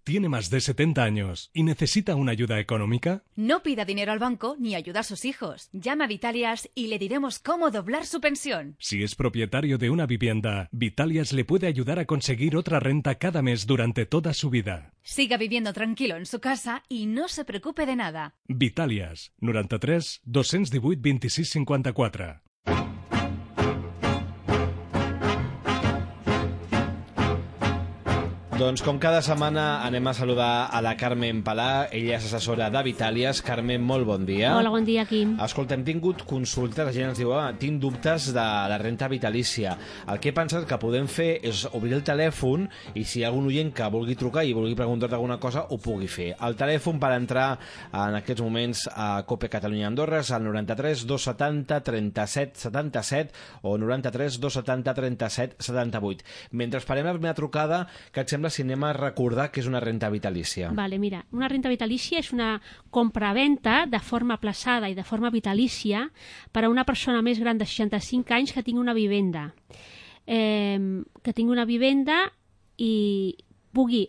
tiene más de 70 años y necesita una ayuda económica? No pida dinero al banco ni ayuda a sus hijos. Llama a Vitalias y le diremos cómo doblar su pensión. Si es propietario de una vivienda, Vitalias le puede ayudar a conseguir otra renta cada mes durante toda su vida. Siga viviendo tranquilo en su casa y no se preocupe de nada. Vitalias, 93 218 26 54. Doncs com cada setmana anem a saludar a la Carmen Palà, ella és assessora de Vitalias. Carmen, molt bon dia. Hola, bon dia, Quim. Escolta, hem tingut consultes, la gent ens diu, tinc dubtes de la renta vitalícia. El que he pensat que podem fer és obrir el telèfon i si hi ha algun oient que vulgui trucar i vulgui preguntar-te alguna cosa, ho pugui fer. El telèfon per entrar en aquests moments a COPE Catalunya Andorra és el 93 270 37 77 o 93 270 37 78. Mentre esperem la primera trucada, que et sembla si anem a recordar que és una renta vitalícia? Vale, mira, una renta vitalícia és una compra-venta de forma aplaçada i de forma vitalícia per a una persona més gran de 65 anys que tingui una vivenda. I pugui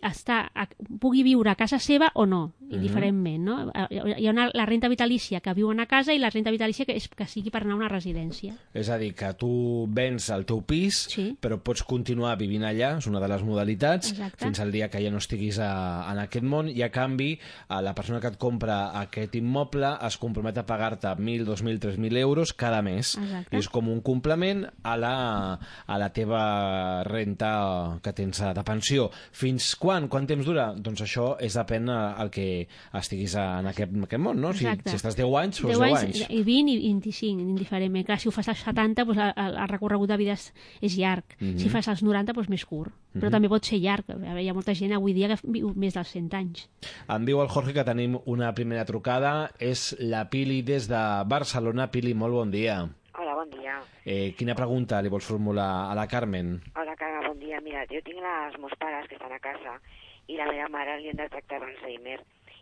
viure a casa seva o no, indiferentment, no? Hi ha la renta vitalícia que viu a casa i la renta vitalícia que sigui per anar a una residència. És a dir, que tu vens el teu pis, sí, però pots continuar vivint allà, és una de les modalitats, exacte, fins al dia que ja no estiguis en aquest món, i a canvi la persona que et compra aquest immoble es compromet a pagar-te 1.000, 2.000, 3.000 euros cada mes. Exacte. I és com un complement a la teva renta que tens de pensió. Fins quan? Quant temps dura? Doncs això depèn el que estiguis en aquest món, no? Si estàs 10 anys, doncs 10 anys. I 20 i 25, indiferentment. Clar, si ho fas als 70, doncs el recorregut de vida és llarg. Si fas als 90, doncs més curt. Però també pot ser llarg. Hi ha molta gent avui dia que viu més dels 100 anys. Em diu el Jorge que tenim una primera trucada. És la Pili des de Barcelona. Pili, molt bon dia. Hola, bon dia. Quina pregunta li vols formular a la Carmen? Hola, Carme, bon dia. Mira, jo tinc els meus pares que estan a casa i la meva mare li han detectat Alzheimer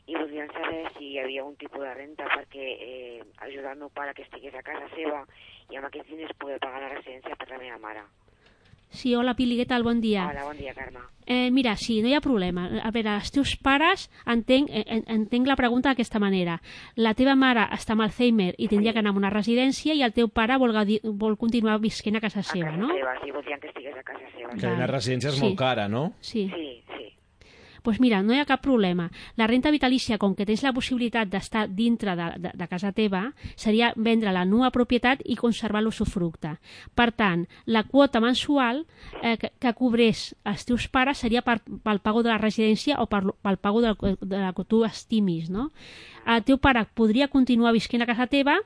i voldrien saber si hi havia un tipus de renta perquè ajudar el meu pare que estigués a casa seva i amb aquests diners poder pagar la residència per la meva mare. Sí, hola Pili, què tal? Bon dia. Hola, bon dia, Carme. Mira, sí, no hi ha problema. A veure, els teus pares, entenc la pregunta d'aquesta manera. La teva mare està amb Alzheimer i tindria que anar a una residència i el teu pare vol continuar visquent a casa seva, no? A casa seva, sí, voldrien que estigués a casa seva. Que una residència és molt cara, no? Sí. Sí. Doncs mira, no hi ha cap problema. La renta vitalícia, com que tens la possibilitat d'estar dintre de casa teva, seria vendre la nua propietat i conservar l'usufructe. Per tant, la quota mensual que cobrés els teus pares seria pel pago de la residència o pel pago de la que tu estimis, no? El teu pare podria continuar visquent a casa seva,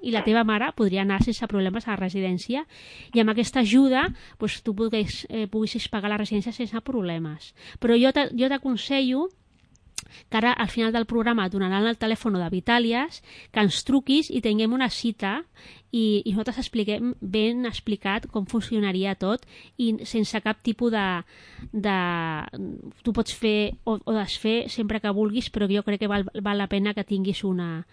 i la teva mare podria anar sense problemes a la residència i amb aquesta ajuda doncs, tu poguessis pagar la residència sense problemes. Però jo t'aconsello que ara al final del programa et donaran el telèfon de Vitalias, que ens truquis i tinguem una cita i nosaltres expliquem ben explicat com funcionaria tot i sense cap tipus de... Tu pots fer o desfer sempre que vulguis, però jo crec que val la pena que tinguis una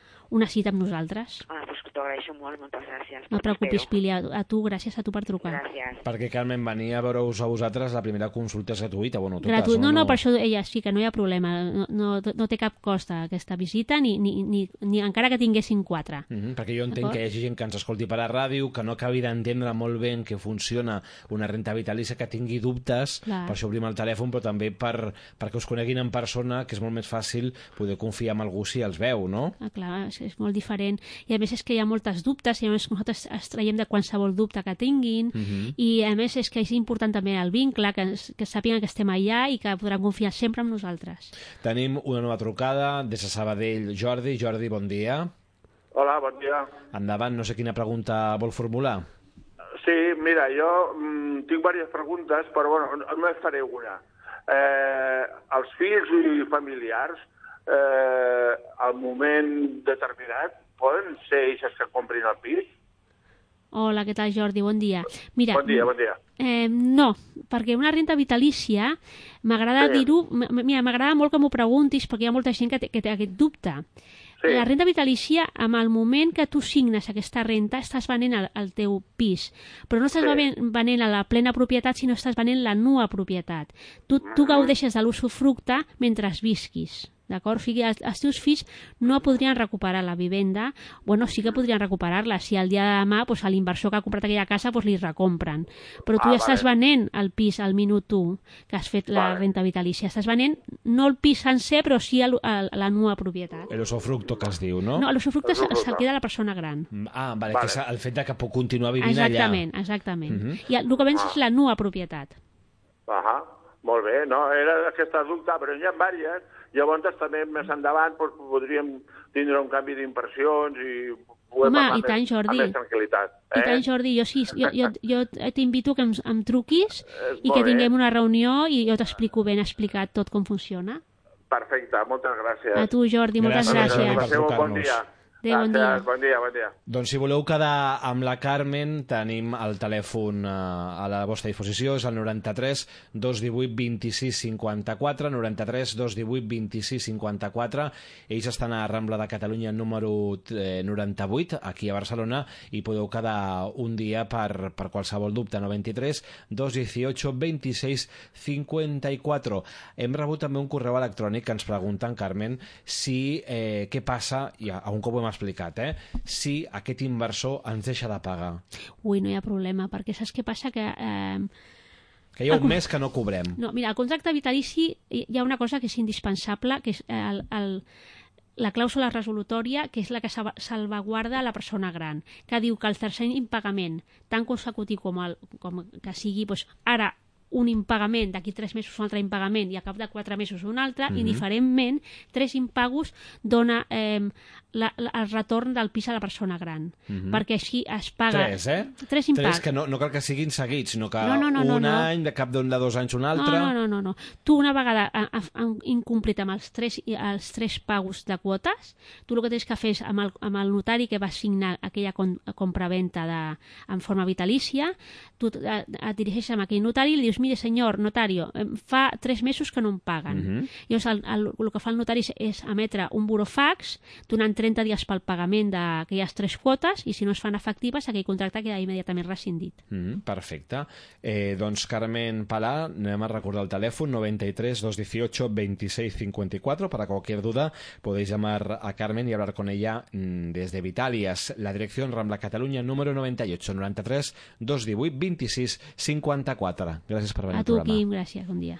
cita amb nosaltres. Doncs t'ho agraeixo molt, moltes gràcies. No et preocupis, Pili, gràcies a tu per trucar. Gràcies. Perquè, Carmen, venir a veure-us a vosaltres, la primera consulta és gratuïta. Bueno, no, per això ella sí que no hi ha problema. No té cap cost aquesta visita, ni encara que tinguessin 4. Perquè jo entenc que hi hagi gent que ens escolti per a ràdio, que no acabi d'entendre molt bé en què funciona una renta vitalícia, que tingui dubtes. Clar. Per això obrim el telèfon, però també perquè us coneguin en persona, que és molt més fàcil poder confiar en algú si els veu, no? Clar, és molt diferent. I a més és que hi ha moltes dubtes, i a més nosaltres es traiem de qualsevol dubte que tinguin, i a més és que és important també el vincle, que sàpiguen que estem allà i que podran confiar sempre en nosaltres. Tenim una nova trucada des de Sabadell. Jordi, bon dia. Hola, bon dia. Endavant, no sé quina pregunta vol formular. Sí, mira, jo tinc diverses preguntes, però bueno, només faré una. Els fills i familiars, al moment determinat, poden ser ells que comprin el pis? Hola, què tal, Jordi? Bon dia. Mira, Bon dia. No, perquè una renta vitalícia, m'agrada dir-ho, m'agrada molt que m'ho preguntis, perquè hi ha molta gent que té aquest dubte. Sí. La renta vitalícia, amb el moment que tu signes aquesta renta, estàs venent el teu pis, però no estàs venent a la plena propietat, sinó estàs venent la nua propietat. Tu gaudeixes de l'usufructe mentre visquis. D'acord? O sigui, els teus fills no podrien recuperar la vivenda, bueno, sí que podrien recuperar-la, si el dia de demà a l'inversor que ha comprat aquella casa li recompren. Però tu ja estàs venent el pis al minut 1 que has fet la renta vitalícia. Estàs venent no el pis sencer, però sí la nua propietat. L'usufructe que es diu, no? No, l'usufructe se'l queda la persona gran. Vale, que és el fet que puc continuar vivint allà. Exactament. I el que vens és la nua propietat. Molt bé, no? Era aquesta dubte, però n'hi ha diverses. Llavors també més endavant podríem tindre un canvi d'impressions i i tant, Jordi. Amb més tranquil·litat. I tant, Jordi. Jo t'invito que em truquis i que tinguem una reunió i jo t'explico ben explicat tot com funciona. Perfecte, moltes gràcies. A tu, Jordi, moltes gràcies. Passeu un bon dia. Bon dia. Bon dia. Doncs si voleu quedar amb la Carmen, tenim el telèfon a la vostra disposició, és el 93 218 26 54, 93 218 26 54. Ells estan a Rambla de Catalunya número 98, aquí a Barcelona, i podeu quedar un dia per qualsevol dubte. 93 218 26 54. Hem rebut també un correu electrònic que ens pregunten, Carmen, si què passa, i a un cop ho hem explicat, si aquest inversor ens deixa de pagar. Ui, no hi ha problema, perquè saps què passa? Que hi ha un mes que no cobrem. No, mira, al contracte vitalici hi ha una cosa que és indispensable, que és la clàusula resolutòria, que és la que salvaguarda la persona gran, que diu que el tercer impagament, tant consecutiu com que sigui ara un impagament, d'aquí 3 mesos un altre impagament i a cap de 4 mesos un altre, indiferentment, 3 impagos dona el retorn del pis a la persona gran, perquè així es paga... 3 impagos. 3 que no cal que siguin seguits, sinó que un any, de cap d'un de 2 anys un altre... No. Tu una vegada incomplit amb els 3 pagos de quotes, tu el que tens que fer és amb el notari que va signar aquella compraventa en forma vitalícia, tu et dirigeixes amb aquell notari i li dius: mire, senyor notario, fa 3 mesos que no em paguen. Llavors, el que fa el notari és emetre un burofax donant 30 dies pel pagament d'aquelles 3 quotes, i si no es fan efectives, aquell contracte queda immediatament rescindit. Perfecte. Doncs, Carmen Palà, anem a recordar el telèfon 93 218 26 54. Para cualquier duda podéis llamar a Carmen y hablar con ella desde Vitalias. La dirección: Rambla Catalunya número 98, 93 218 26 54. Gràcies per venir al programa. A tu, Quim, gràcies, bon dia.